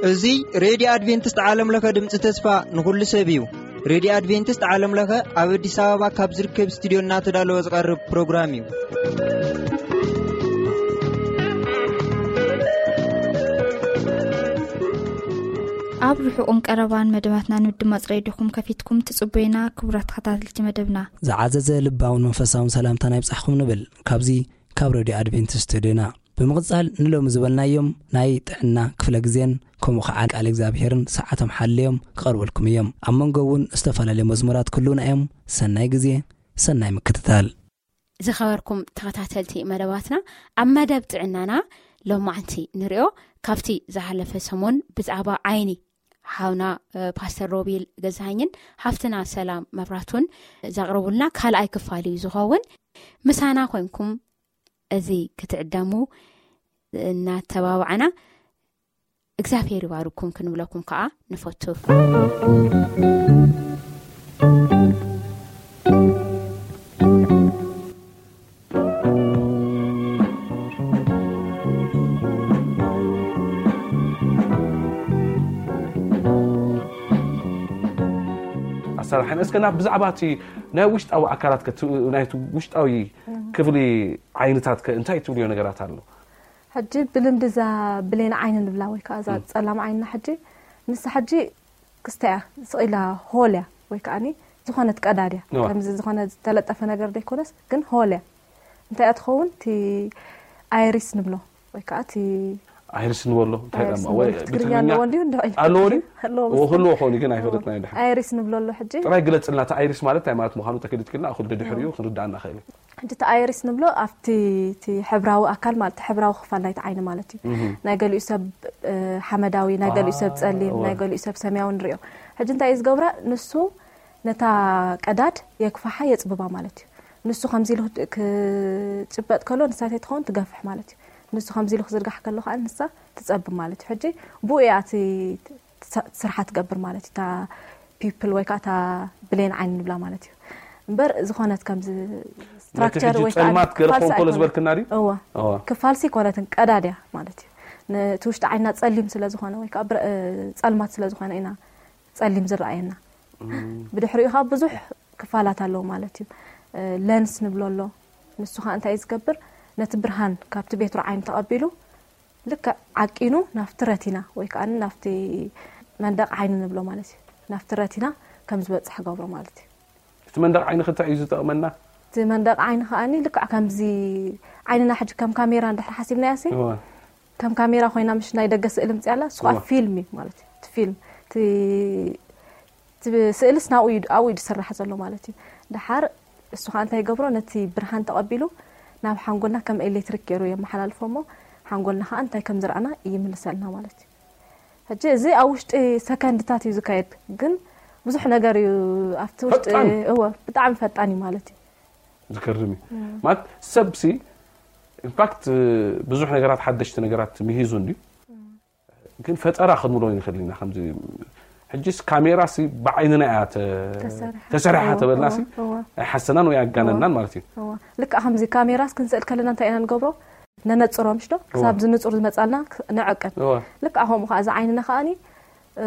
እዚ ሬድዮ ኣድቬንቲስት ዓለም ለኸ ድምፂ ተስፋ ንኹሉ ሰብ እዩ። ሬድዮ ኣድቬንቲስት ዓለም ለኸ ኣብ ኣዲስ ኣበባ ካብ ዝርከብ ስቱዲዮ እናተዳለወ ዝቐርብ ፕሮግራም እዩ። ኣብ ርሑቕን ቀረባን መደባትና ንምድማፅ ሬድዮኹም ከፊትኩም ትጽበዩና ክቡራት ተኸታተልቲ መደብና። ዝዓዘዘ ልባውን መንፈሳውን ሰላምታና ይብጻሕኩም ንብል። ካብዚ ካብ ሬድዮ ኣድቬንቲስት ስቱዲዮና ብምቕጻል ንሎሚ ዝበልናዮም ናይ ጥዕና ክፍለ ግዜን ከምኡ ኸዓ ቃል እግዚኣብሔርን ሰዓቶም ሓልዮም ክቐርበልኩም እዮም። ኣብ መንጎ እውን ዝተፈላለዩ መዝሙራት ክህልዉና እዮም። ሰናይ ግዜ፣ ሰናይ ምክትታል። ዝኸበርኩም ተኸታተልቲ መደባትና፣ ኣብ መደብ ጥዕናና ሎማዕንቲ ንሪኦ ካብቲ ዝሓለፈ ሰሙን ብዛዕባ ዓይኒ ሓውና እ፣ ፓስተር ሮቤል ገዛኸኝን ሓፍትና ሰላም መብራቱን ዘቕረቡልና ካልኣይ ክፋል እዩ ዝኸውን። ምሳና ኮንኩም እዚ ክትዕደሙ እናተባባዕና እግዚኣብሔር ይባርኩም ክንብለኩም ከዓ ንፈቱ። ኣሰራርሓን እስከ ናብ ብዛዕባ እቲ ናይ ውሽጣዊ ኣካላት ከ እቲ ናይቲ ውሽጣዊ ክፍሊ ዓይንታት ከ እንታይ ትብልዮ ነገራት ኣሎ? ሕጂ ብልምዲ እዛ ብሌን ዓይኒ ንብላ ወይ ከዓ እዛ ጸላም ዓይንና ሕጂ ንሳ ሕጂ ክስታ እያ ስቕ ኢላ ሆል እያ ወይ ከዓኒ ዝኾነት ቀዳድ እያ እዋ። ከምዚ ዝኾነ ዝተለጠፈ ነገር ዘይኮነስ ግን ሆል እያ እንታይ እያ ትኸውን እቲ ኣይሪስ ንብሎ ወይ ከዓ እቲ ኣይሪስ ንበሎ እንታይ ኣይሪስ ደማ ንበሎ። ወይ ትግርኛ ኣለዎ እንዲሁ እንዲሁ ኢልካ ኣለዎ ድዩ? ኣለዎ እዎ መሰለኝ። ክህልዎ ክኸውን እዩ ግን ኣይፈለጥናዮ ድሓር ኣይሪስ ንብሎ ኣሎ ሕጂ ጥራይ ግለጽልና እቲ ኣይሪስ ማለት እንታይ ማለት ምዃኑ ተገሊጽክልና ኣኹል ደድሕሪኡ ክንርዳእ እናኽእል እዩ ሕጂ እቲ ኣይሪስ ንብሎ ኣብቲ እቲ ሕብራዊ ኣካል ማለት እቲ ሕብራዊ ክፋል ናይቲ ዓይኒ ማለት እዩ ናይ ገሊኡ ሰብ እ፣ ሓመዳዊ ናይ ገሊኡ ሰብ ጸሊም እወ። ናይ ገሊኡ ሰብ ሰማያዊ ንሪኦ ሕጂ እንታይ እዩ ዝገብራ ንሱ ነታ ቀዳድ የክፋሓ የጽብባ ማለት እዩ ንሱ ከምዚ ኢሉ ክጭበጥ ከሎ ንሳተይ ትኸውን ትገፍሕ ማለት እዩ ንሱ ከምዚ ኢሉ ክዝርጋሕ ከሎ ከዓ ንሳ ትጸብብ ማለት እዩ ሕጂ ብኡ እያ እቲ ስ- ስርሓ ትገብር ማለት እዩ እታ ፒፕል ወይ ከዓ እታ ብሌን ዓይኒ ንብላ ማለት እዩ እምበር ዝኾነት ከምዚ ነቲ ስትራክቸር ሕጂ ወይ ከዓ ጸልማት ገለ ክፋልሲ ክኸውን ከሎ ኣይኮነን። ዝበልክና ድዩ? እወ እወ። ክፋልሲ ኣይኮነትን ቀዳድያ ማለት እዩ ነቲ ውሽጢ ዓይንና ጸሊም ስለ ዝኾነ ወይ ከዓ ብረ- እ፣ ጸልማት ስለ ዝኾነ ኢና ጸሊም ዝረኣየና ብድሕሪኡ ከዓ ብዙሕ ክፋላት ኣለዎ ማለት እዩ እ፣ ለንስ ንብሎ ኣሎ ንሱ ከዓ እንታይ እዩ ዝገብር ነቲ ብርሃን ካብቲ ቤትሮ ዓይኒ ተቐቢሉ ልክዕ ዓቂኑ ናብቲ ረቲና ወይ ከዓ ናብቲ መንደቕ ዓይኒ ንብሎ ማለት እዩ ናብቲ ረቲና ከም ዝበፅሕ ገብሮ ማለት እዩ እቲ መንደቕ ዓይኒ ክታይ እዩ ዝጠቕመና? እቲ መንደቕ ዓይኒ ከዓኒ ልክዕ ከምዚ ዓይንና ሕጂ ከም ካሜራ እንድሕር ሓሲብናያ ሲ እወ። ከም ካሜራ ኮይና ምሽ ናይ ደገ ስእሊ ምፅያ ኣላ እሱ ከዓ እወ። ፊልም እዩ ማለት እዩ እቲ ፊልም እቲ እቲ ስእልስ ናብኡ እዩ ኣብኡ እዩ ዝስራሕ ዘሎ ማለት እዩ ድሓር እሱ ከዓ እንታይ ይገብሮ ነቲ ብርሃን ተቐቢሉ ናብ ሓንጎልና ከም ኤሌክትሪክ ገይሩ የመሓላልፎ እሞ ሓንጎልና ከዓ እንታይ ከም ዝረኣና ይምልሰልና ማለት እዩ ሕጂ እዚ ኣብ ውሽጢ ሰከንድታት እዩ ዝካየድ ግን ብዙሕ ነገር እዩ ኣብቲ ውሽጢ ፈጣን። እወ ብጣዕሚ ፈጣን እዩ ማለት እዩ ዝገርም እዩ ማለት ሰብ ሲ ኢንፋክት ብዙሕ ነገራት ሓደሽቲ ነገራት ምሂዙ እንድዩ ግን ፈጠራ ክንብሎ ንኽእል ኢና ከምዚ ሕጂስ ካሜራ ሲ ብዓይንና እያ ተ- ተሰሪሓ። ተሰሪሓ እወ፣ ተበልና ሲ እወ፣ እወ። ኣይሓሰናን ወይ ኣጋነናን ማለት እዩ እወ። ልክዕ ከምዚ ካሜራስ ክንስእል ከለና እንታይ ኢና ንገብሮ ነነፅሮ ምሽ ዶ ክሳብ ዝንፁር ዝመፃልና ክ- ንዕቅን እወ። ልክዕ ከምኡ ከዓ እዚ ዓይንና ከዓኒ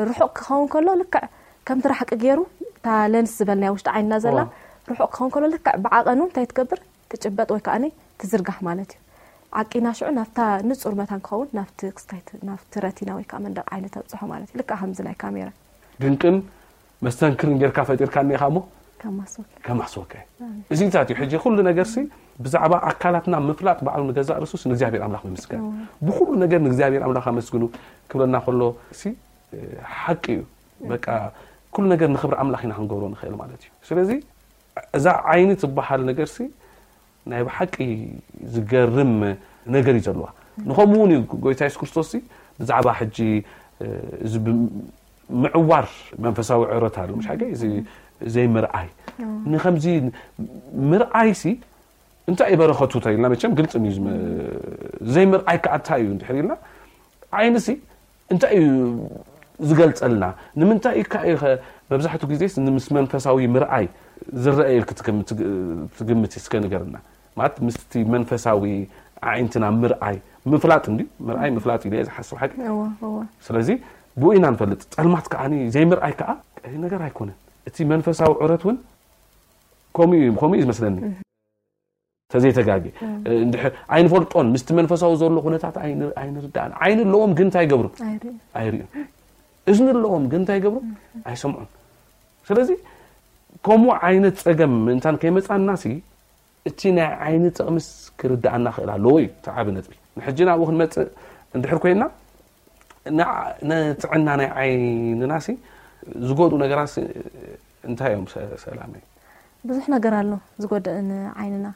ርሑቕ ክኸውን ከሎ ልክዕ ከምቲ ራሕቂ ገይሩ እታ ለንስ ዝበልናያ ውሽጢ ዓይንና ዘላ እወ። ርሑቕ ክኸውን ከሎ ልክዕ ብዓቐኑ እንታይ ትገብር ትጭበጥ ወይ ከዓኒ ትዝርጋሕ ማለት እዩ ዓቂና ሽዑ ናብታ ንፁር መታን ክኸውን ናብቲ ክስታይት ናብቲ ረቲና ወይ ከዓ መንደቕ ዓይኒ ተብፅሖ ማለት እዩ ልክዕ ከምዚ ናይ ካሜራ ድንቅን መስተንክርን ጌርካ ፈጢርካ እኒኻ እሞ ከማስወክ ከማሕስወካ እዩ እዚታት እዩ ሕጂ ኩሉ ነገር ሲ ብዛዕባ ኣካላትና ምፍላጥ ባዕሉ ንገዛእ ርሱስ ንእግዚኣብሔር ኣምላኽ ምምስጋን ብኩሉ ነገር ንእግዚኣብሔር ኣምላኽ ኣመስግኑ ክብለና ከሎ ሲ ሓቂ እዩ በቃ ኩሉ ነገር ንክብሪ ኣምላኽ ኢና ክንገብሮ ንኽእል ማለት እዩ ስለዚ እዛ ዓይኒ ትበሃል ነገር ሲ ናይ ብሓቂ ዝገርም ነገር እዩ ዘለዋ ንኸምኡ እውን እዩ ጎይታ የሱስ ክርስቶስ ሲ ብዛዕባ ሕጂ እዚ ምዕዋር መንፈሳዊ ዕረት ኣሎ ምሽ ሓቂ እዚ ዘይምርኣይ ንከምዚ ምርኣይ ሲ እንታይ እዩ በረኸቱ ተኢልና መቸም ግልፂ እዩ ዝመ- ዘይምርኣይ ከዓ እንታይ እዩ እንድሕር ኢልና ዓይኒ ሲ እንታይ እዩ ዝገልፀልና ንምንታይ እዩ ከ መብዛሕትኡ ግዜ ምስ መንፈሳዊ ምርኣይ ዝረአ ኢልክ ትግምት እስከ ንገርና? ማለት ምስቲ መንፈሳዊ ኣዒንትና ምርኣይ ምፍላጥ እንዲ ምርኣይ ምፍላጥ ኢለ ዝሓስብ ሓቂ። ስለዚ ብኡ ኢና ንፈልጥ። ጸልማት ከዓ ዘይምርኣይ ከዓ ቀሊል ነገር ኣይኮነን። እቲ መንፈሳዊ ዑረት እውን ከምኡ እዩ ዝመስለኒ። ተዘይተጋጊ እንድሕር ኣይንፈልጦን፣ ምስቲ መንፈሳዊ ዘሎ ኩነታት ኣይንርዳእን። ዓይኒ ኣለዎም ግን እንታይ ይገብሩ? ኣይርእዩን። እዝኒ ኣለዎም ግን እንታይ ይገብሩ? ኣይሰምዑን። ስለዚ ከምኡ ዓይነት ጸገም ምእንታን ከይመጻና ሲ እቲ ናይ ዓይኒ ጥቕምስ ክርዳእና ክእል ኣለዎ እዩ እቲ ዓቢ ነጥቢ። ንሕጂ ናብኡ ክንመጽእ እንድሕር ኮይና ንጥዕና ናይ ዓይንና ሲ ዝጎድኡ ነገራት እንታይ እዮም? ሰላመይ፣ ብዙሕ ነገር ኣሎ ዝጎድእ ንዓይንና።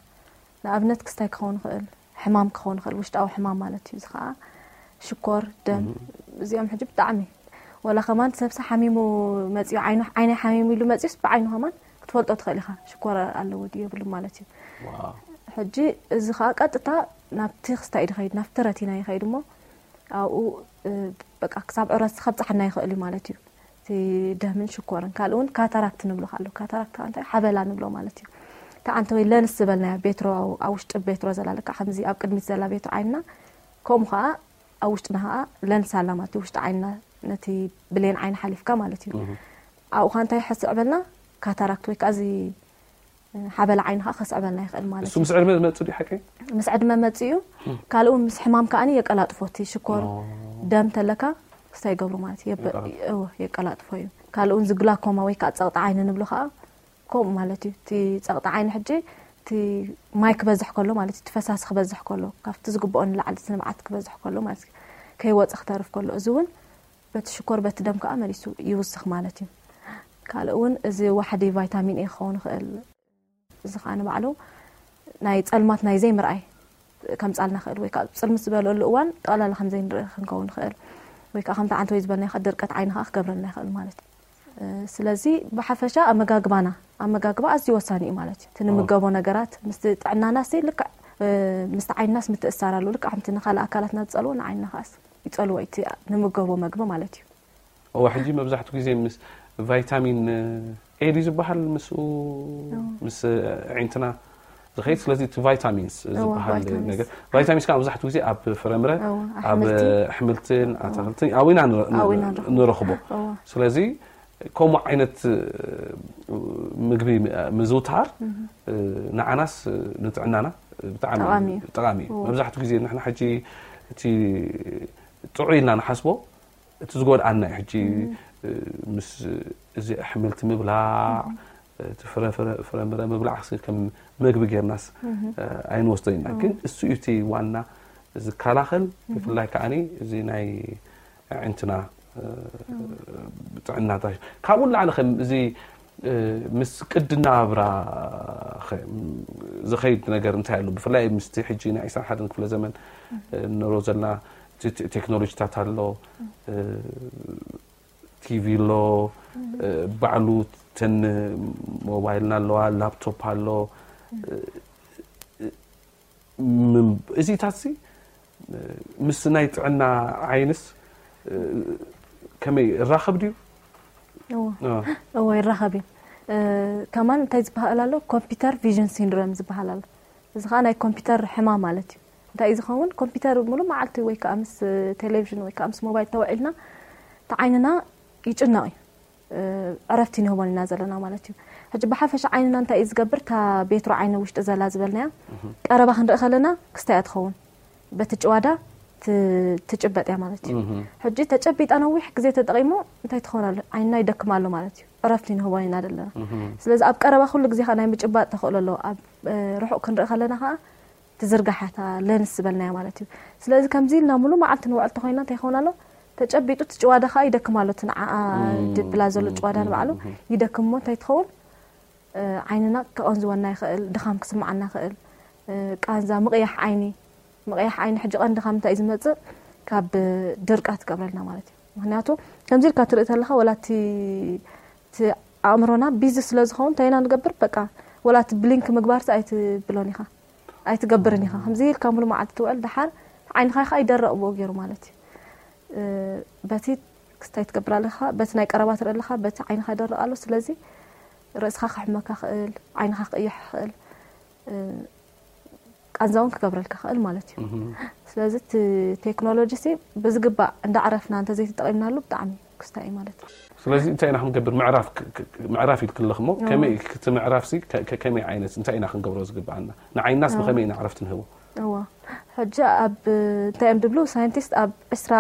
ንኣብነት ክስታይ ክኸውን ይኽእል፣ ሕማም ክኸውን ይኽእል፣ ውሽጣዊ ሕማም ማለት እዩ። እዚ ከዓ ሽኮር፣ ደም፣ እዚኦም ሕጂ ብጣዕሚ ወላ ከማን ሰብሲ ሓሚሙ መፅዩ ዓይኑ ዓይነይ ሓሚሙ ኢሉ መፅዩስ ብዓይኑ ከማን ክትፈልጦ ትኽእል ኢኻ ሽኮር ኣለዎ ድዩ የብሉ ማለት እዩ። ሕጂ እዚ ከዓ ቀጥታ ናብቲ ክስታይ ድኸይድ ናብቲ ረቲና ይኸይድ እሞ ኣብኡ በቃ ክሳብ ዕረት ከብፅሓና ይኽእል እዩ ማለት እዩ። እቲ ደምን ሽኮርን ካልእ እውን ካታራክት ንብሎ ኣሎ። ካታራክት ከዓ እንታይ ሓበላ ንብሎ ማለት እዩ። እቲ ዓንተ ወይ ለንስ ዝበልናያ ቤትሮ ኣብ ውሽጢ ቤትሮ ዘላ ልካ ከምዚ ኣብ ቅድሚት ዘላ ቤትሮ ዓይንና ከምኡ ከዓ ኣብ ውሽጥና ከዓ ለንስ ኣላ ማለት እዩ። ውሽጢ ዓይንና ነቲ ብሌን ዓይኒ ሓሊፍካ ማለት እዩ። ኣብኡ ከዓ እንታይ ሕስዕ በልና ካታራክት ወይ ከዓ እዚ ሓበላ ዓይኒ ከዓ ከስዕበልና ይኽእል ማለት እዩ። ምስ ዕድመ ዝመፅእ ድዩ ሓቂ? ምስ ዕድመ መፅእ እዩ። ካልኡ ምስ ሕማም ከዓ የቀላጥፎ። እቲ ሽኮር ደም ተለካ ክስታይ ይገብሩ ማለት እዩ። የቀላጥፎ እዩ። ካልኡ እዚ ግላኮማ ወይ ከዓ ፀቕጢ ዓይኒ ንብሎ ከዓ ከምኡ ማለት እዩ። እቲ ፀቕጢ ዓይኒ ሕጂ እቲ ማይ ክበዝሕ ከሎ ማለት እዩ። እቲ ፈሳሲ ክበዝሕ ከሎ ካብቲ ዝግብኦ ንላዕሊ እቲ ንብዓት ክበዝሕ ከሎ ማለት እዩ። ከይወፀ ክተርፍ ከሎ እዚ እውን በቲ ሽኮር በቲ ደም ከዓ መሊሱ ይውስኽ ማለት እዩ። ካልእ እውን እዚ ዋሕዲ ቫይታሚን ኤ ክኸውን ይኽእል። እዚ ከዓ ንባዕሉ ናይ ፀልማት ናይ ዘይምርኣይ ከምፃልና ክእል ወይ ከዓ ፅልምት ዝበለሉ እዋን ጠቕላላ ከም ዘይንርኢ ክንከውን ንኽእል ወይ ከዓ ከምቲ ዓንተ ወይ ዝበልና ከዓ ድርቀት ዓይኒ ከዓ ክገብረልና ይኽእል ማለት እዩ። ስለዚ ብሓፈሻ ኣመጋግባና ኣመጋግባ ኣዝዩ ወሳኒ እዩ ማለት እዩ። እቲ ንምገቦ ነገራት ምስቲ ጥዕናና ሲ ልክዕ ምስቲ ዓይንናስ ምትእሳር ኣሎ። ልክዕ ከምቲ ንካልእ ኣካላትና ዝፀልዎ ንዓይንና ከዓስ ይፀልዎ እቲ ንምገቦ መግቢ ማለት እዩ። እዋ ሕጂ መብዛሕትኡ ግዜ ምስ ቫይታሚን ኤ ድዩ ዝበሃል ምስኡ ምስ ኣዒንትና ዝኸይድ። ስለዚ እቲ ቫይታሚንስ ዝበሃል ነገር ቫይታሚንስ ከዓ መብዛሕትኡ ግዜ ኣብ ፍረምረ ኣብ ኣሕምልትን ኣታክልትን ኣብኡ ኢና ንረኽቦ። ስለዚ ከምኡ ዓይነት ምግቢ ምዝውታር ንዓናስ ንጥዕናና ብጣዕሚ ጠቃሚ እዩ። መብዛሕትኡ ግዜ ንሕና ሕጂ እቲ ጥዑይ ኢልና ንሓስቦ እቲ ዝጎድኣና እዩ። ሕጂ ምስ እዚ ኣሕምልቲ ምብላዕ እቲ ፍረምረ ምብላዕ ሲ ከም መግቢ ጌርናስ ኣይንወስዶ ኢና። ግን እሱ እዩ እቲ ዋና ዝከላኸል። ብፍላይ ከዓኒ እዚ ናይ ኣዒንትና ጥዕናታ ካብኡ ንላዕሊ ከም እዚ ምስ ቅዲ ናብራ ዝኸይድ ነገር እንታይ ኣሎ? ብፍላይ ምስቲ ሕጂ ናይ ዕስራን ሓደን ክፍለ ዘመን ንሮ ዘለና ቴክኖሎጂታት ኣሎ፣ ቲቪ ኣሎ፣ ባዕሉ ተን ሞባይልና ኣለዋ፣ ላፕቶፕ ኣሎ። እዚታት ሲ ምስ ናይ ጥዕና ዓይንስ ከመይ ይራኸብ ድዩ? እዎ ይራኸብ እዩ። ከማን እንታይ ዝበሃል ኣሎ? ኮምፒውተር ቪዥን ሲንድሮም ዝበሃል ኣሎ። እዚ ከዓ ናይ ኮምፒውተር ሕማም ማለት እዩ። እንታይ እዩ ዝኸውን? ኮምፒውተር ሙሉእ መዓልቲ ወይ ከዓ ምስ ቴሌቪዥን ወይ ከዓ ምስ ሞባይል ተውዒልና እቲ ዓይንና ይጭነቕ እዩ። ዕረፍቲ ንህቦን ኢና ዘለና ማለት እዩ። ሕጂ ብሓፈሻ ዓይንና እንታይ እዩ ዝገብር? እታ ቤትሮ ዓይኒ ውሽጢ ዘላ ዝበልናያ ቀረባ ክንርኢ ከለና ክስታይ እያ ትኸውን። በቲ ጭዋዳ ትጭበጥ እያ ማለት እዩ። ሕጂ ተጨቢጣ ነዊሕ ግዜ ተጠቂሙ እንታይ ትኸውን ኣሎ? ዓይንና ይደክም ኣሎ ማለት እዩ። ዕረፍቲ ንህቦን ኢና ዘለና። ስለዚ ኣብ ቀረባ ኩሉ ግዜ ከዓ ናይ ምጭባጥ ተኽእሎ ኣለዎ። ኣብ ርሑቕ ክንርኢ ከለና ከዓ ትዝርጋሓታ ለንስ ዝበልናያ ማለት እዩ። ስለዚ ከምዚ ኢልና ሙሉ መዓልቲ ንውዕል ተኮይና እንታይ ይኸውን ኣሎ? ተጨቢጡ እቲ ጭዋዳ ከዓ ይደክም ኣሎ። እቲ ንዓኣ ድብላ ዘሎ ጭዋዳ ንባዕሉ ይደክም እሞ እንታይ ትኸውን? ዓይንና ከቐንዝወና ይኽእል፣ ድኻም ክስምዓና ይኽእል፣ ቃንዛ፣ ምቕያሕ ዓይኒ። ምቕያሕ ዓይኒ ሕጂ ቀንዲ ካብ ምንታይ እዩ ዝመፅእ? ካብ ድርቀት ክገብረልና ማለት እዩ። ምክንያቱ ከምዚ ኢልካ ትርኢ ተለካ ወላ እቲ ኣእምሮና ቢዚ ስለ ዝኸውን እንታይ ኢና ንገብር? በቃ ወላ እቲ ብሊንክ ምግባርሲ ኣይትብሎን ኢኻ። ኣይትገብርን ኢኻ። ከምዚ ኢልካ ሙሉ መዓልቲ ትውዕል፣ ደሓር ዓይንኻ ኢኻ ይደረቕ ብኡ ገይሩ ማለት እዩ። በቲ ክስታይ ትገብር ኣለኻ፣ በቲ ናይ ቀረባ ትርኢ ኣለኻ፣ በቲ ዓይንኻ ይደርቕ ኣሎ። ስለዚ ርእስኻ ክሕመካ ክእል፣ ዓይንኻ ክእይሕ ክእል፣ እ፣ ቃንዛ እውን ክገብረልካ ክእል ማለት እዩ። ስለዚ እቲ ቴክኖሎጂ ሲ ብዝግባእ እንዳዕረፍና እንተዘይተጠቒምናሉ ብጣዕሚ ክስታይ እዩ ማለት እዩ። ስለዚ እንታይ ኢና ክንገብር? ምዕራፍ ክ- ክ- ምዕራፍ ኢልክለኽሞ፣ ከመይ እቲ ምዕራፍ ሲ ከ- ከ- ከመይ ዓይነት እንታይ ኢና ክንገብሮ ዝግብኣና? ንዓይናስ ብኸመይ ኢና ዕረፍቲ ንህቦ? እዋ፣ ሕጂ ኣብ እንታይ እዮም ድብሉ ሳይንቲስት፣ ኣብ ዕስራ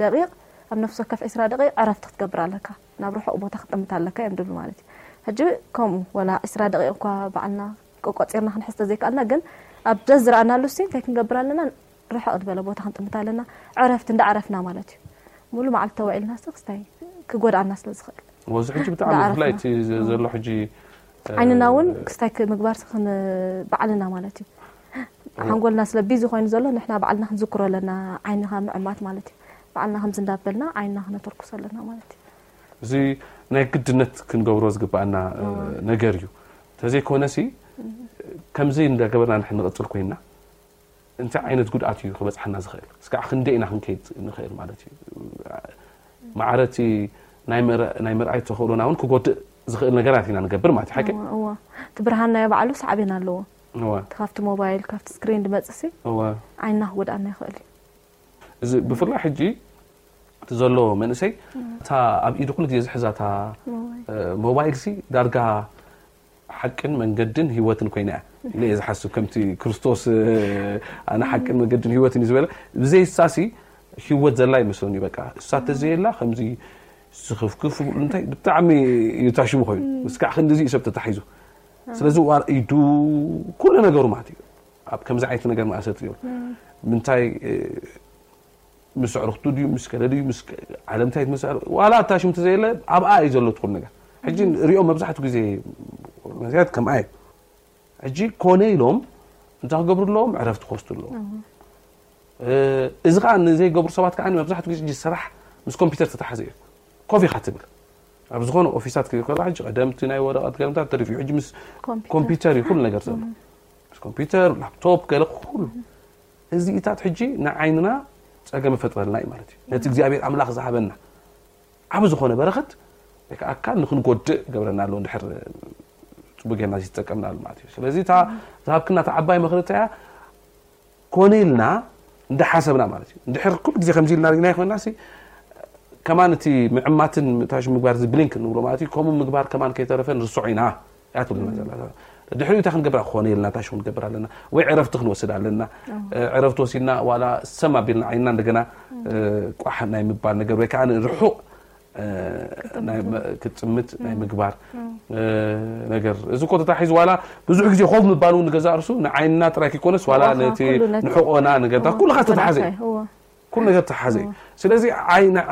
ደቂቕ፣ ኣብ ነፍሲ ወከፍ ዕስራ ደቂቕ ዕረፍቲ ክትገብር ኣለካ፣ ናብ ርሑቕ ቦታ ክትጥምት ኣለካ እዮም ድብሉ ማለት እዩ። ሕጂ ከምኡ ወላ ዕስራ ደቂቕ እኳ ባዕልና ቆቆፂርና ክንሕዝ ተዘይከኣልና፣ ግን ኣብ ደስ ዝረኣናሉ ሲ እንታይ ክንገብር ኣለና? ርሕቕ ዝበለ ቦታ ክንጥምት ኣለና፣ ዕረፍቲ እንዳዕረፍና ማለት እዩ። ሙሉ መዓልቲ ተውዒልና ሲ ክስታይ ክጎድኣና ስለ ዝኽእል፣ ወዚ ሕጂ ብጣዕሚ ብፍላይ እቲ ዘ- ዘሎ ሕጂ ዓይንና እውን ክስታይ ምግባር ሲ ክን ባዕልና ማለት እዩ። ሓንጎልና ስለ ቢዚ ኮይኑ ዘሎ ንሕና ባዕልና ክንዝክሮ ኣለና፣ ዓይንኻ ምዕማት ማለት እዩ። ባዕልና ከምዚ እንዳበልና ዓይንና ክነተርኩስ ኣለና ማለት እዩ። እዚ ናይ ግድነት ክንገብሮ ዝግብኣና ነገር እዩ። ተዘይኮነሲ ከምዚ እንዳገበርና ንሕን ንቕፅል ኮይና እንታይ ዓይነት ጉድኣት እዩ ክበፅሓና ዝኽእል? እስካዕ ክንደይ ኢና ክንከይድ ንኽእል ማለት እዩ? ማዕረቲ ናይ ምር- ናይ ምርኣይ ተኽእሎና እውን ክጎድእ ዝኽእል ነገራት ኢና ንገብር ማለት እዩ። ሓቂ እዋ፣ እዋ። እቲ ብርሃን ናይ ባዕሉ ሳዕቤን ኣለዎ። እዋ። እቲ ካብቲ ሞባይል ካብቲ ስክሪን ድመፅእ ሲ እዋ። ዓይንና ክጎድኣና ይኽእል እዩ። እዚ ብፍላይ ሕጂ እቲ ዘሎ መንእሰይ እታ ኣብ ኢዱ ኩሉ ግዜ ዝሕዛታ ሞባይል። እ፣ ሞባይል ሲ ዳርጋ ሓቅን መንገድን ህይወትን ኮይና እያ ኢለ እየ ዝሓስብ። ከምቲ ክርስቶስ እ፣ ኣነ ሓቅን መንገድን ህይወትን እዩ ዝበለ፣ ብዘይ እሳሲ ህይወት ዘላ ይመስለኒ። በቃ እሳ ተዘየላ ከምዚ ዝኽፍክፍ እንታይ ብጣዕሚ እዩ ታሽሙ ኮይኑ። እስካዕ ክንድዚ እዩ ሰብ ተታሒዙ። ስለዚ ዋር ኢዱ ኩሉ ነገሩ ማለት እዩ ኣብ ከምዚ ዓይነት ነገር መኣሰርቲ እዩ። ምንታይ እ፣ ምስ ኣዕሩኽቱ ድዩ ምስ ከለ ድዩ ምስ ከ- ዓለም እንታይ ትመስል ዋላ ኣታሽምቲ ዘየለ ኣብኣ እዩ ዘሎ ትኹል ነገር። ሕጂ ሪኦም መብዛሕትኡ ግዜ መዝያት ከምኣ እዩ። ሕጂ ኮነ ኢሎም እንታይ ክገብሩ ኣለዎም? ዕረፍቲ ክወስዱ ኣለዎም። እ፣ እዚ ከዓ ንዘይገብሩ ሰባት ከዓ መብዛሕትኡ ግዜ ሕጂ ስራሕ ምስ ኮምፒውተር ተተሓዘ እዩ። ኮፍ ኢኻ ትብል ኣብ ዝኾነ ኦፊሳት ክብል ከሎ ሕጂ ቀደምቲ ናይ ወረቐት ገርምታት ተሪፉ እዩ። ሕጂ ምስ ኮምፒውተር። ኮምፒውተር እዩ ኩሉ ነገር ዘሎ። ምስ ኮምፒውተር ላፕቶፕ ገለ ኩሉ እዚኢታት ሕጂ ንዓይንና ጸገም ይፈጥረልና እዩ ማለት እዩ። ነቲ እግዚኣብሔር ኣምላኽ ዝሃበና ዓብ ዝኾነ በረኸት ወይ ከዓ ኣካል ንክንጎድእ ገብረና ኣሎ እንድሕር ጽቡቅ ጌርና ዘይተጠቀምናሉ ማለት እዩ። ስለዚ እታ ዝሃብክና እታ ዓባይ ምኽሪ እንታይ እያ? ኮነ ኢልና እንዳሓሰብና ማለት እዩ። እንድሕር ኩሉ ግዜ ከምዚ ኢልና ሪግና ይኮንና ሲ ከማን እቲ ምዕማትን ታሽ ምግባር እዚ ብሊንክ ንብሎ ማለት እዩ። ከምኡ ምግባር ከማን ከይተረፈ ንርሶ ኢና እያ ትብለና ዘላ። ድሕሪኡ እንታይ ክንገብር ኮነ ኢልና ታሽ ክንገብር ኣለና ወይ ዕረፍቲ ክንወስድ ኣለና። ዕረፍቲ ወሲድና ዋላ ሰም ኣቢልና ዓይንና እንደገና ቋሕ ናይ ምባል ነገር ወይ ከዓ ርሑቕ ክትጥምት ናይ ምግባር ነገር እዚ እኮ ተታሒዙ ዋላ ብዙሕ ግዜ ኮፍ ምባል እውን ንገዛእ ርሱ ንዓይንና ጥራይ ከይኮነስ ዋላ ነቲ ንሕቆና ነገርታት ኩሉ ተተሓዘ እዩ። ኩሉ ነገር ተሓዘ እዩ። ስለዚ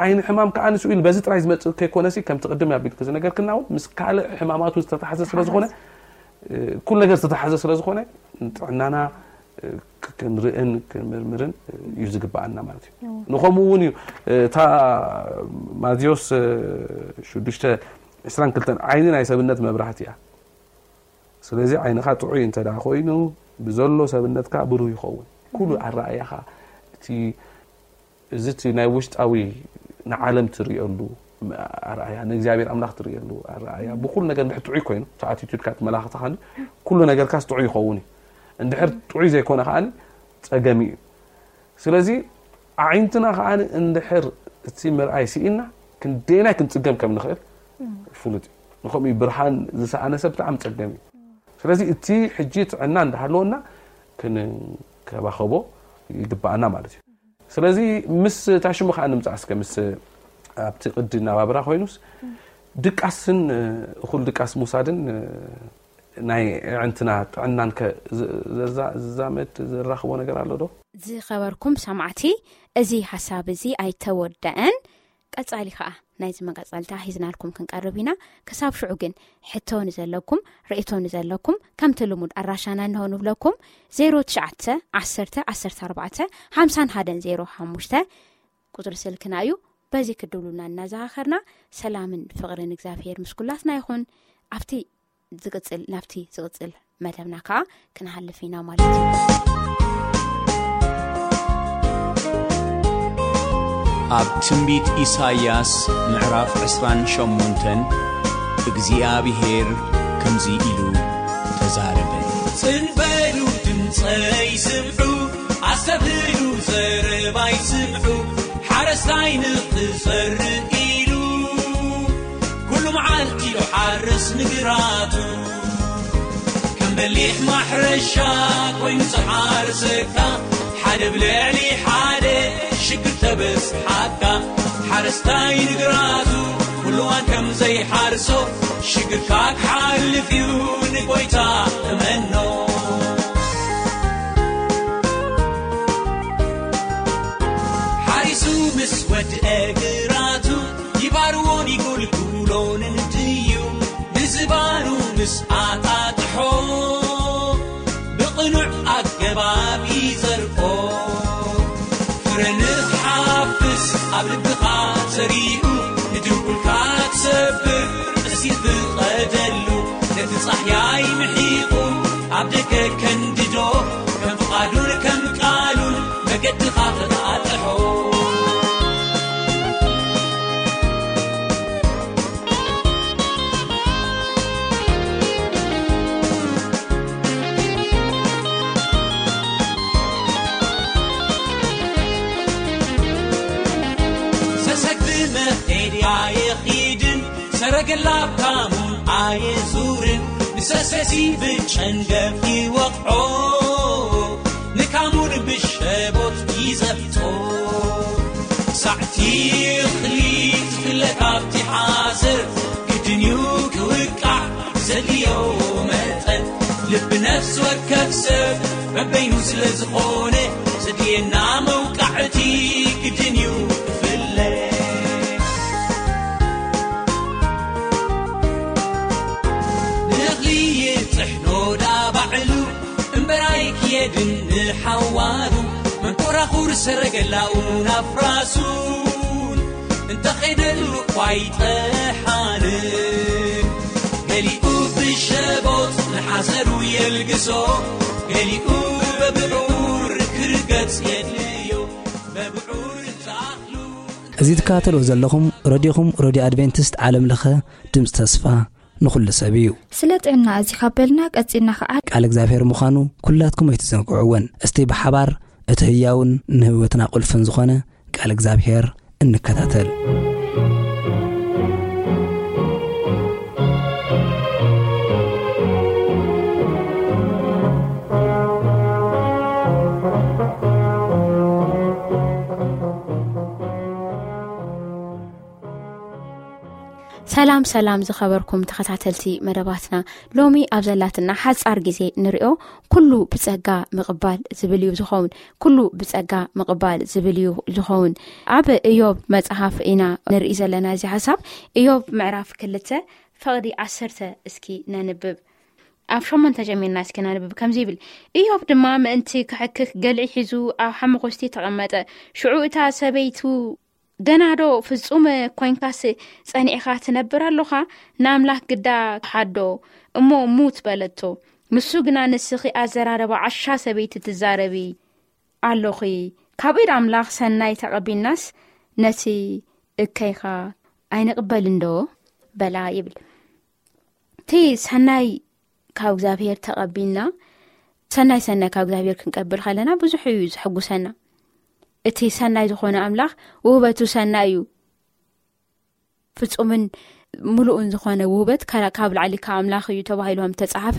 ዓይኒ ሕማም ከዓ ንስኡ ኢሉ በዚ ጥራይ ዝመፅእ ከይኮነሲ ከምቲ ቅድም ኣቢልክ ዝነገርክና እውን ምስ ካልእ ሕማማቱ ዝተተሓዘ ስለዝኮነ ኩሉ ነገር ዝተተሓዘ ስለዝኮነ ጥዕናና ክንርእን ክንምርምርን እዩ ዝግብኣና ማለት እዩ። ንኸምኡ እውን እዩ እታ ማቴዎስ ሽዱሽተ ዕስራን ክልተን ዓይኒ ናይ ሰብነት መብራህቲ እያ። ስለዚ ዓይንኻ ጥዑይ እንተ ደኣ ኮይኑ ብዘሎ ሰብነትካ ብሩህ ይኸውን። ኩሉ ኣረኣእያኻ እቲ እዚ እቲ ናይ ውሽጣዊ ንዓለም ትርእየሉ ኣርኣያ ንእግዚኣብሔር ኣምላኽ ትርእየሉ ኣርኣያ ብኩሉ ነገር እንድሕር ጥዑይ ኮይኑ እቲ ኣቲቱድካ እቲ መላኽትኻ ኩሉ ነገርካስ ጥዑይ ይኸውን እዩ። እንድሕር ጥዑይ ዘይኮነ ከዓኒ ጸገም እዩ። ስለዚ ኣዒንትና ከዓኒ እንድሕር እቲ ምርኣይ ስኢና ክንደይናይ ክንጽገም ከም ንኽእል ፍሉጥ እዩ። ንኸምኡ ብርሃን ዝሰኣነ ሰብ ብጣዕሚ ጸገም እዩ። ስለዚ እቲ ሕጂ ጥዕና እንዳሃለወና ክንከባኸቦ ይግባኣና ማለት እዩ። ስለዚ ምስ ታሽሙ ከዓ ንምፃእ እስከ ምስ ኣብቲ ቅዲ ናባብራ ኮይኑስ ድቃስን እኹል ድቃስ ምውሳድን ናይ ኣዕንትና ጥዕናን ከ ዝዛመድ ዘራኽቦ ነገር ኣሎ ዶ? ዝኸበርኩም ሰማዕቲ፣ እዚ ሓሳብ እዚ ኣይተወደአን። ቀጻሊ ከኣ ናይዚ መቐጸልታ ሒዝናልኩም ክንቀርብ ኢና። ክሳብ ሽዑ ግን ሕቶ ንዘለኩም፣ ርእይቶ ንዘለኩም ከምቲ ልሙድ ኣድራሻና እንሆ ንብለኩም። ዜሮ ትሽዓተ ዓሰርተ ዓሰርተ ኣርባዕተ ሓምሳን ሓደን ዜሮ ሓሙሽተ ቁጽሪ ስልክና እዩ። በዚ ክትድውሉና እናዘኻኸርና ሰላምን ፍቕርን እግዚኣብሄር ምስ ኩላትና ይኹን። ኣብቲ ዝቕጽል ናብቲ ዝቕጽል መደብና ከኣ ክንሃልፍ ኢና ማለት እዩ። ኣብ ትንቢት ኢሳይያስ ምዕራፍ ዕስራን ሸሞንተን እግዚኣብሔር ከምዚ ኢሉ ተዛረበ። ጽን በሉ፣ ድምጸይ ስምዑ፣ ኣስተብህሉ፣ ዘረባይ ስምዑ። ሓረስታይ ንኽዘርእ ኢሉ፣ ኩሉ መዓልቲ ዶ ሓርስ ንግራቱ። ከም በሊሕ ማሕረሻ ኮይኑ ዝሓርሰካ፣ ሓደ ብልዕሊ ሓደ ሽግር ተበስሓካ። ሓረስታይ ንግራቱ ኩሉዋን ከም ዘይሓርሶ፣ ሽግርካ ክሓልፍ እዩ፣ ንጎይታ እመኖ። ሓሪሱ ምስ ወድአ ግራቱ፣ ይባርዎን ይጉልጉሎን እንድዩ። ንዝባኑ ምስ ኣጣጥሖ፣ ብቕኑዕ ኣገባብ ይዘርኦ። ፍረ ንኽሓፍስ ኣብ ልብኻ ዘሪኡ፣ ንድንቁልካ ክሰብር እሲ ፍቐደሉ። ነቲ ጻህያይ ምሒቑ ኣብ ደገ ከንድዶ፣ ከም ፍቓዱን ከም ቃሉን መገድኻ ክጣጥሖ። ሰሰግ ብመኼድ ኣየኺድን፣ ሰረገላ ኣብ ካሙን ኣየዙርን። ንሰሰሲ ብጨንገፍ ይወቕዖ፣ ንካሙን ብሸቦት ይዘፍጦ። ሳዕቲ እኽሊ ትፍለ ካብቲ ሓሰር፣ ግድን እዩ ክውቃዕ ዘድልዮ መጠን። ልቢ ነፍሲ ወከፍ ሰብ በበይኑ ስለ ዝኾነ፣ ዘድልየና መውቃዕቲ ግድን እዩ ክፍለ። ንእኽሊ ይጥሕኖ ዳ ባዕሉ፣ እምበራይ ክየድን ንሓዋሩ። መንኮራኹር ሰረገላኡ ናፍራሱን፣ እንተኸይደሉ እኳ ኣይጠሓንን። ገሊኡ ብሸቦት ንሓሰሩ የልግሶ፣ ገሊኡ በብዑር ክርገጽ የድልዮ። በብዑር ተኣኽሉ። እዚ ትከታተልዎ ዘለኹም ረድዮኹም፣ ረድዮ ኣድቬንቲስት ዓለም ለኸ ድምፂ ተስፋ ንኹሉ ሰብ እዩ። ስለ ጥዕና እዚ ካብ በልና ቀጺልና ኸዓ ቃል እግዚኣብሔር ምዃኑ ኩላትኩም ኣይትዘንግዕዎን። እስቲ ብሓባር እቲ ህያውን ንህይወትና ቁልፍን ዝኾነ ቃል እግዚኣብሔር እንከታተል። ሰላም ሰላም ዝኸበርኩም ተኸታተልቲ መደባትና፣ ሎሚ ኣብ ዘላትና ሓጻር ግዜ ንሪኦ። ኩሉ ብጸጋ ምቕባል ዝብል እዩ ዝኸውን። ኩሉ ብጸጋ ምቕባል ዝብል እዩ ዝኸውን። ኣብ እዮብ መጽሓፍ ኢና ንርኢ ዘለና እዚ ሓሳብ። እዮብ ምዕራፍ ክልተ ፈቕዲ ዓሰርተ እስኪ ነንብብ። ኣብ ሸሞንተ ጀሚርና እስኪ ነንብብ። ከምዚ ይብል፣ እዮብ ድማ ምእንቲ ክሕክኽ ገልዒ ሒዙ ኣብ ሓመኾስቲ ተቐመጠ። ሽዑ እታ ሰበይቱ፣ ገና ዶ ፍጹም ኮይንካስ ጸኒዕኻ ትነብር ኣሎኻ? ንኣምላኽ ግዳ ሓዶ እሞ ሙት በለቶ። ንሱ ግና፣ ንስኺ ኣዘራረባ ዓሻ ሰበይቲ ትዛረቢ ኣሎኺ። ካብ ኢድ ኣምላኽ ሰናይ ተቐቢልናስ ነቲ እከይኻ ኣይንቕበልን ዶ? በላ ይብል። እቲ ሰናይ ካብ እግዚኣብሔር ተቐቢልና፣ ሰናይ ሰናይ ካብ እግዚኣብሔር ክንቀብል ከለና ብዙሕ እዩ ዘሐጉሰና። እቲ ሰናይ ዝኾነ ኣምላኽ ውህበቱ ሰናይ እዩ። ፍጹምን ምሉእን ዝኾነ ውህበት ከ-፣ ካብ ላዕሊ ካብ ኣምላኽ እዩ ተባሂሉ ከም ተጻሓፈ፣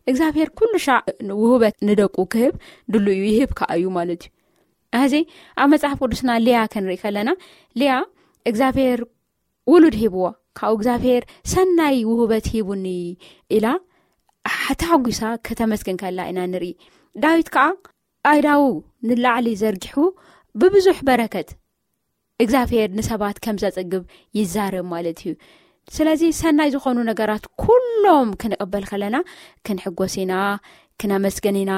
እግዚኣብሔር ኩሉ ሻዕ ውህበት ንደቁ ክህብ ድሉ እዩ፣ ይህብ ከኣ እዩ ማለት እዩ። ሕዚ ኣብ መጽሓፍ ቅዱስና ሊያ ክንርኢ ከለና፣ ሊያ እግዚኣብሔር ውሉድ ሂብዋ፣ ካብኡ እግዚኣብሔር ሰናይ ውህበት ሂቡኒ ኢላ ተሓጒሳ ከተመስግን ከላ ኢና ንርኢ። ዳዊት ከኣ ኣእዳዉ ንላዕሊ ዘርጊሑ ብብዙሕ በረከት እግዚኣብሔር ንሰባት ከም ዘጽግብ ይዛረብ ማለት እዩ። ስለዚ ሰናይ ዝኾኑ ነገራት ኩሎም ክንቕበል ከለና ክንሕጎስ ኢና፣ ክነመስግን ኢና፣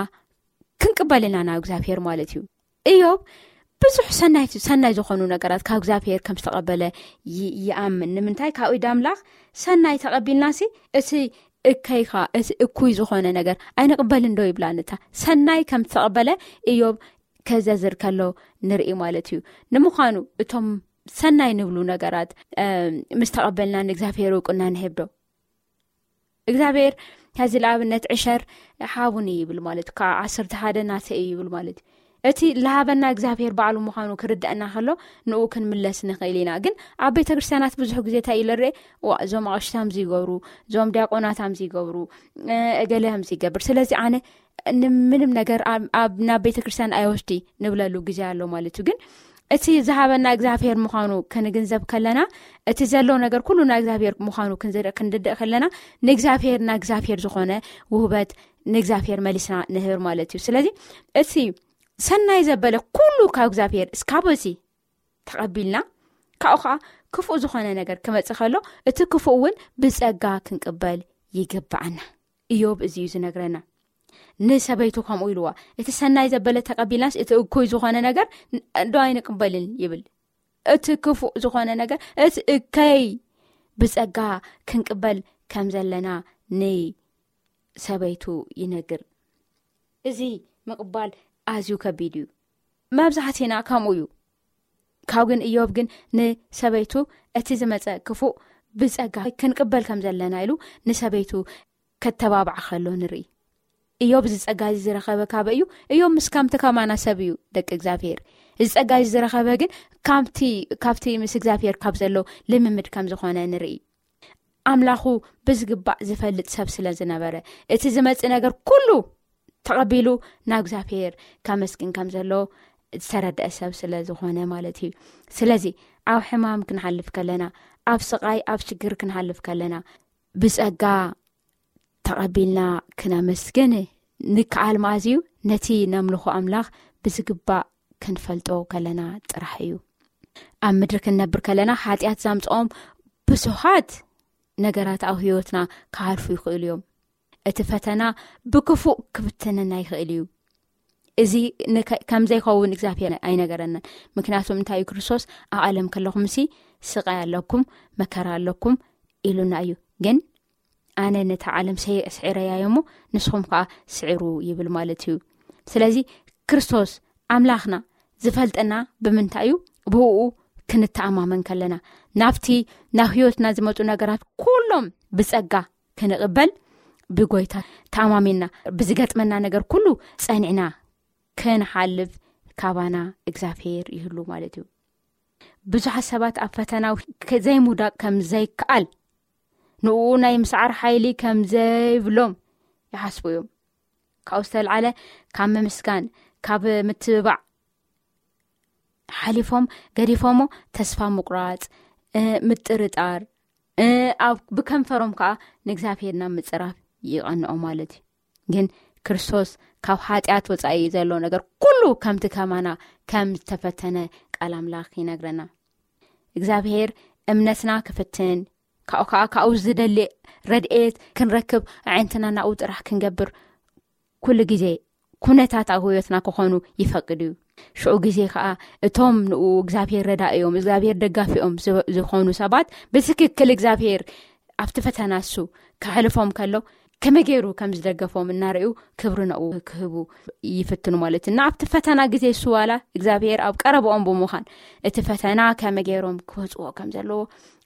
ክንቅበል ኢና ናብ እግዚኣብሔር ማለት እዩ። እዮብ ብዙሕ ሰናይ፣ ሰናይ ዝኾኑ ነገራት ካብ እግዚኣብሔር ከም ዝተቐበለ ይ-፣ ይኣምን። ንምንታይ? ካብ ኢድ ኣምላኽ ሰናይ ተቐቢልናሲ እቲ እከይኻ፣ እቲ እኩይ ዝኾነ ነገር ኣይንቕበልን ዶ ይብላን። እታ ሰናይ ከም ዝተቐበለ እዮብ ከዘዝር ከሎ ንርኢ ማለት እዩ። ንምዃኑ እቶም ሰናይ ንብሉ ነገራት፣ እ፣ ምስ ተቐበልና ንእግዚኣብሔር እውቅና ንህብ ዶ? እግዚኣብሔር ሕዚ ንኣብነት ዕሸር ሓቡኒ ይብል ማለት፣ ካብ ዓሰርተ ሓደ ናተ እዩ ይብል ማለት እዩ። እቲ ለሃበና እግዚኣብሔር ባዕሉ ምዃኑ ክርድአና ከሎ ንኡ ክንምለስ ንኽእል ኢና። ግን ኣብ ቤተ ክርስቲያናት ብዙሕ ግዜ እንታይ ኢለ ርኤ፣ ዋ እዞም ኣቕሽታም ዝይገብሩ፣ እዞም ዲያቆናታም ዝይገብሩ፣ እገለ ከም ዝይገብር፣ ስለዚ ኣነ ንምንም ነገር ናብ ቤተ ክርስቲያን ኣይወስዲ ንብለሉ ግዜ ኣሎ ማለት እዩ። ግን እቲ ዝሃበና እግዚኣብሔር ምዃኑ ክንግንዘብ ከለና፣ እቲ ዘሎ ነገር ኩሉ ናይ እግዚኣብሔር ምዃኑ ክንርድእ ከለና፣ ንእግዚኣብሔር ናይ እግዚኣብሔር ዝኾነ ውህበት ንእግዚኣብሔር መሊስና ንህብር ማለት እዩ። ስለዚ እቲ ሰናይ ዘበለ ኩሉ ካብ እግዚኣብሔር እስካብ እዚ ተቐቢልና፣ ካብኡ ከዓ ክፉእ ዝኾነ ነገር ክመፅእ ከሎ እቲ ክፉእ እውን ብፀጋ ክንቅበል ይግብኣና። እዮብ እዚ እዩ ዝነግረና። ንሰበይቱ ከምኡ ኢልዋ፣ እቲ ሰናይ ዘበለ ተቐቢልናስ እቲ እኩይ ዝኾነ ነገር ዶ ኣይንቅበልን ይብል። እቲ ክፉእ ዝኾነ ነገር፣ እቲ እከይ ብጸጋ ክንቅበል ከም ዘለና ንሰበይቱ ይነግር። እዚ ምቕባል ኣዝዩ ከቢድ እዩ። መብዛሕትና ከምኡ እዩ። ካብ ግን እዮብ ግን ንሰበይቱ እቲ ዝመጸ ክፉእ ብጸጋ ክንቅበል ከም ዘለና ኢሉ ንሰበይቱ ከተባብዓ ከሎ ንርኢ። እዮብ እዚ ጸጋ እዚ ዝረኸበ ካበይ እዩ? እዮብ ምስ ከምቲ ከማና ሰብ እዩ፣ ደቂ እግዚኣብሔር። እዚ ጸጋ እዚ ዝረኸበ ግን ካብቲ ምስ እግዚኣብሔር ካብ ዘሎ ልምምድ ከም ዝኾነ ንርኢ። ኣምላኹ ብዝግባእ ዝፈልጥ ሰብ ስለ ዝነበረ፣ እቲ ዝመጽእ ነገር ኩሉ ተቐቢሉ ናብ እግዚኣብሔር ከመስግን ከም ዘሎ ዝተረድአ ሰብ ስለ ዝኾነ ማለት እዩ። ስለዚ ኣብ ሕማም ክንሓልፍ ከለና፣ ኣብ ስቓይ ኣብ ሽግር ክንሓልፍ ከለና፣ ብጸጋ ተቐቢልና ክነመስግን ንከኣል መኣዝዩ ነቲ ነምልኾ ኣምላኽ ብዝግባእ ክንፈልጦ ከለና ጥራሕ እዩ። ኣብ ምድሪ ክንነብር ከለና ሓጢኣት ዘምጽኦም ብዙሃት ነገራት ኣብ ህይወትና ክሓልፉ ይኽእሉ እዮም። እቲ ፈተና ብክፉእ ክፍትነና ይኽእል እዩ። እዚ ከም ዘይኸውን እግዚኣብሔር ኣይነገረናን። ምክንያቱም እንታይ እዩ ክርስቶስ ኣብ ዓለም ከለኹምሲ ስቓይ ኣለኩም፣ መከራ ኣለኩም ኢሉና እዩ። ግን ኣነ ነታ ዓለም ስዒረያ እሞ ንስኹም ከዓ ስዕሩ ይብል ማለት እዩ። ስለዚ ክርስቶስ ኣምላኽና ዝፈልጠና ብምንታይ እዩ? ብኡ ክንተኣማመን ከለና፣ ናብቲ ናብ ህይወትና ዝመፁ ነገራት ኩሎም ብፀጋ ክንቕበል ብጎይታ ተኣማሚንና ብዝገጥመና ነገር ኩሉ ጸኒዕና ክንሓልፍ ካባና እግዚኣብሔር ይህሉ ማለት እዩ። ብዙሓት ሰባት ኣብ ፈተና ዘይምውዳቕ ከም ዘይከኣል፣ ንኡ ናይ ምስዓር ሓይሊ ከም ዘይብሎም ይሓስቡ እዮም። ካብኡ ዝተልዓለ ካብ ምምስጋን፣ ካብ ምትብባዕ ሓሊፎም ገዲፎሞ ተስፋ ምቁራጽ፣ ምጥርጣር፣ ኣብ ብከንፈሮም ከኣ ንእግዚኣብሔር ናብ ምጽራፍ ይቐንኦ ማለት እዩ። ግን ክርስቶስ ካብ ሓጢኣት ወጻኢ ዘሎ ነገር ኩሉ ከምቲ ከማና ከም ዝተፈተነ ቃል ኣምላኽ ይነግረና። እግዚኣብሔር እምነትና ክፍትን፣ ካብኡ ከኣ ካብኡ ዝደሊ ረድኤት ክንረክብ ኣዒንትና ናብኡ ጥራሕ ክንገብር ኩሉ ግዜ ኩነታት ኣብ ህይወትና ክኾኑ ይፈቅድ እዩ። ሽዑ ግዜ ከኣ እቶም ንኡ እግዚኣብሔር ረዳእዮም፣ እግዚኣብሔር ደጋፊኦም ዝብ-፣ ዝኾኑ ሰባት ብትክክል እግዚኣብሔር ኣብቲ ፈተና እሱ ከሕልፎም ከሎ ከመይ ገይሩ ከም ዝደገፎም እናርእዩ ክብሪ ነኡ ክህቡ ይፍትኑ ማለት እዩ። እና ኣብቲ ፈተና ግዜ እሱ ዋላ እግዚኣብሔር ኣብ ቀረብኦም ብምዃን እቲ ፈተና ከመይ ገይሮም ክወፅዎ ከም ዘለዎ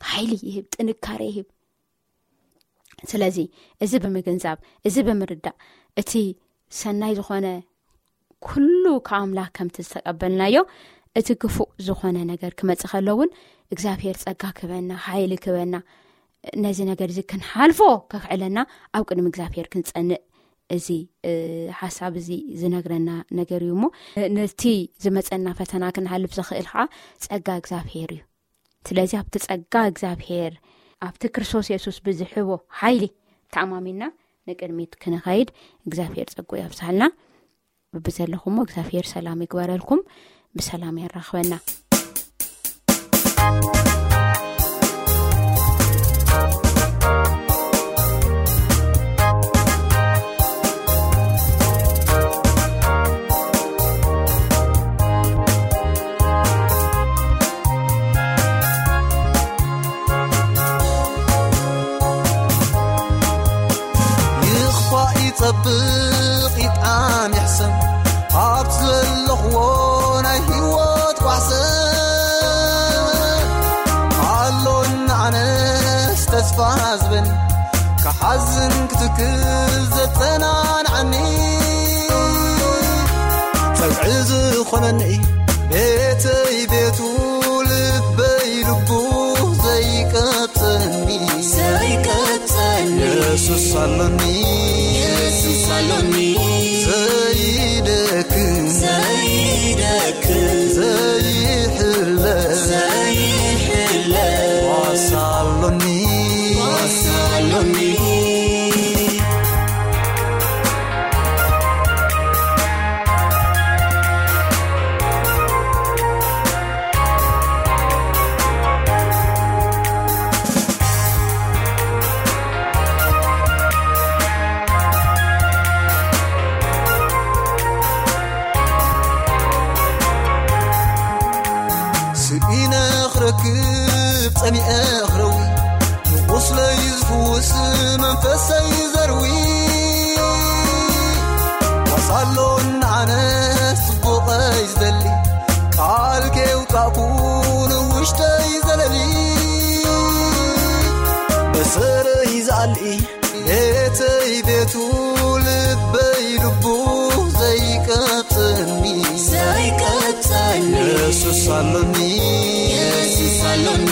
ሓይሊ ይህብ፣ ጥንካሬ ይህብ። ስለዚ እዚ ብምግንዛብ፣ እዚ ብምርዳእ፣ እቲ ሰናይ ዝኾነ ኩሉ ካብ ኣምላኽ ከምቲ ዝተቀበልናዮ፣ እቲ ክፉእ ዝኾነ ነገር ክመጽእ ከሎ እውን እግዚኣብሔር ጸጋ ክህበና፣ ሓይሊ ክህበና፣ ነዚ ነገር እዚ ክንሓልፎ ከኽዕለና ኣብ ቅድሚ እግዚኣብሔር ክንጸንእ እዚ፣ እ፣ ሓሳብ እዚ ዝነግረና ነገር እዩ። እሞ ነቲ ዝመጸና ፈተና ክንሓልፍ ዘኽእል ኸዓ ጸጋ እግዚኣብሔር እዩ። ስለዚ ኣብቲ ጸጋ እግዚኣብሔር፣ ኣብቲ ክርስቶስ የሱስ ብዝሕቦ ሓይሊ ተኣማሚንና ንቅድሚት ክንኸይድ እግዚኣብሔር ጸጉ የብዝሓልና። ብብዘለኹሞ እግዚኣብሔር ሰላም ይግበረልኩም፣ ብሰላም የራኽበና። ይኽፋእ ይጸብቕ ይጥዓም ይሕሰም ኣብ ዘለኽዎ ናይ ህይወት ጓሕሰ ኣሎና ኣነስ ተስፋ ዝበኒ ካሕ ሓዝን ክትክል ዘጸናንዓኒ፣ ጸግዒ ዝኾነኒ፣ ቤተይ ቤቱ ልበይ ልቡ ዘይቀጸኒ፣ ዘይቀጸኒ። የሱስ ኣሎኒ፣ የሱስ ኣሎኒ። ዘይደክም፣ ዘይደክም። ዘይሕለ፣ ዘይሕለ። ዋሳ ኣሎኒ፣ ዋሳ ኣሎኒ። ስኢነ ክረክብ ጸሚኤ ክረዊ፣ ንቑስለይ ዝፍውስ መንፈሰይ ዘርዊ። ዋሳ ኣሎኒ ኣነስ ጽቡቐይ ዝደሊ፣ ቃል ከየውጻእኩ ንውሽጠይ ዘለሊ። በሰረይ ዝኣሊ፣ ቤተይ ቤቱ ልበይ ልቡ ዘይቀጸኒ፣ ዘይቀጸኒ። የሱስ ኣሎኒ፣ የሱስ ኣሎኒ።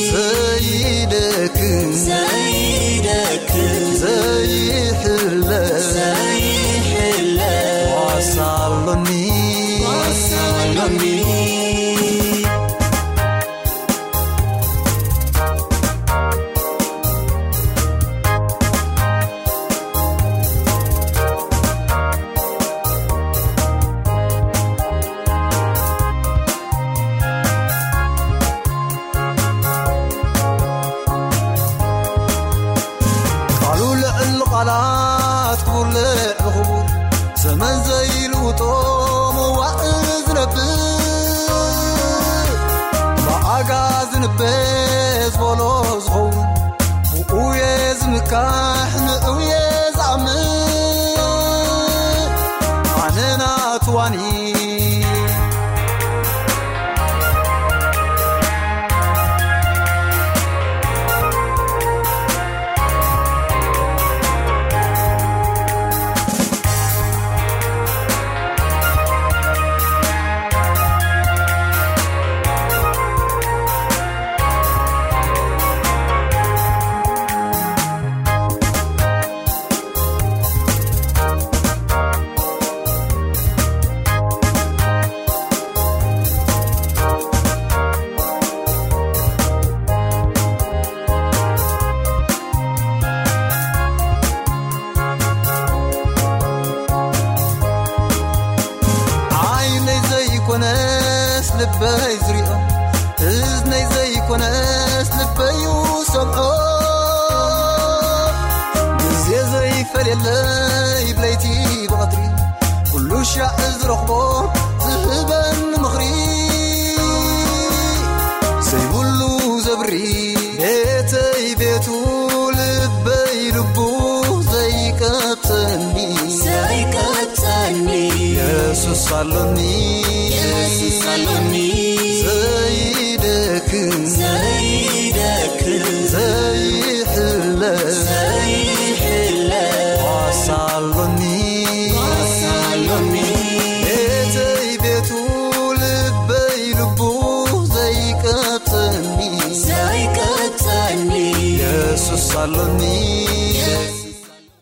ዘይደክም፣ ዘይደክም። ዘይሕለ፣ ዘይሕለ። ዋሳ ኣሎኒ፣ ዋሳ ኣሎኒ። ቃሉ ልዕሊ ቃላት ክቡር ልዕሊ ክቡር፣ ዘመን ዘይልውጦ መዋእል ዝነብር፣ ብኣጋ ዝንበ ዝበሎ ዝኸውን፣ ብኡየ ዝምካሕ ንእውየ ዝኣምን፣ ኣነ ናትዋኒ። ዓይነይ ዘይኮነስ ልበይ ዝሪኦ፣ እዝነይ ዘይኮነስ ልበይ ይሰምዖ። ግዜ ዘይፈልየለይ ብለይቲ ብቐትሪ፣ ኩሉ ሻዕ ዝረኽቦ ዝህበኒ ምኽሪ፣ ዘይብሉ ዘብሪ ቤተይ ቤቱ ልበይ ልቡ ዘይቀብጸኒ፣ ዘይቀብጸኒ። የሱስ ኣሎኒ፣ የሱስ ኣሎኒ።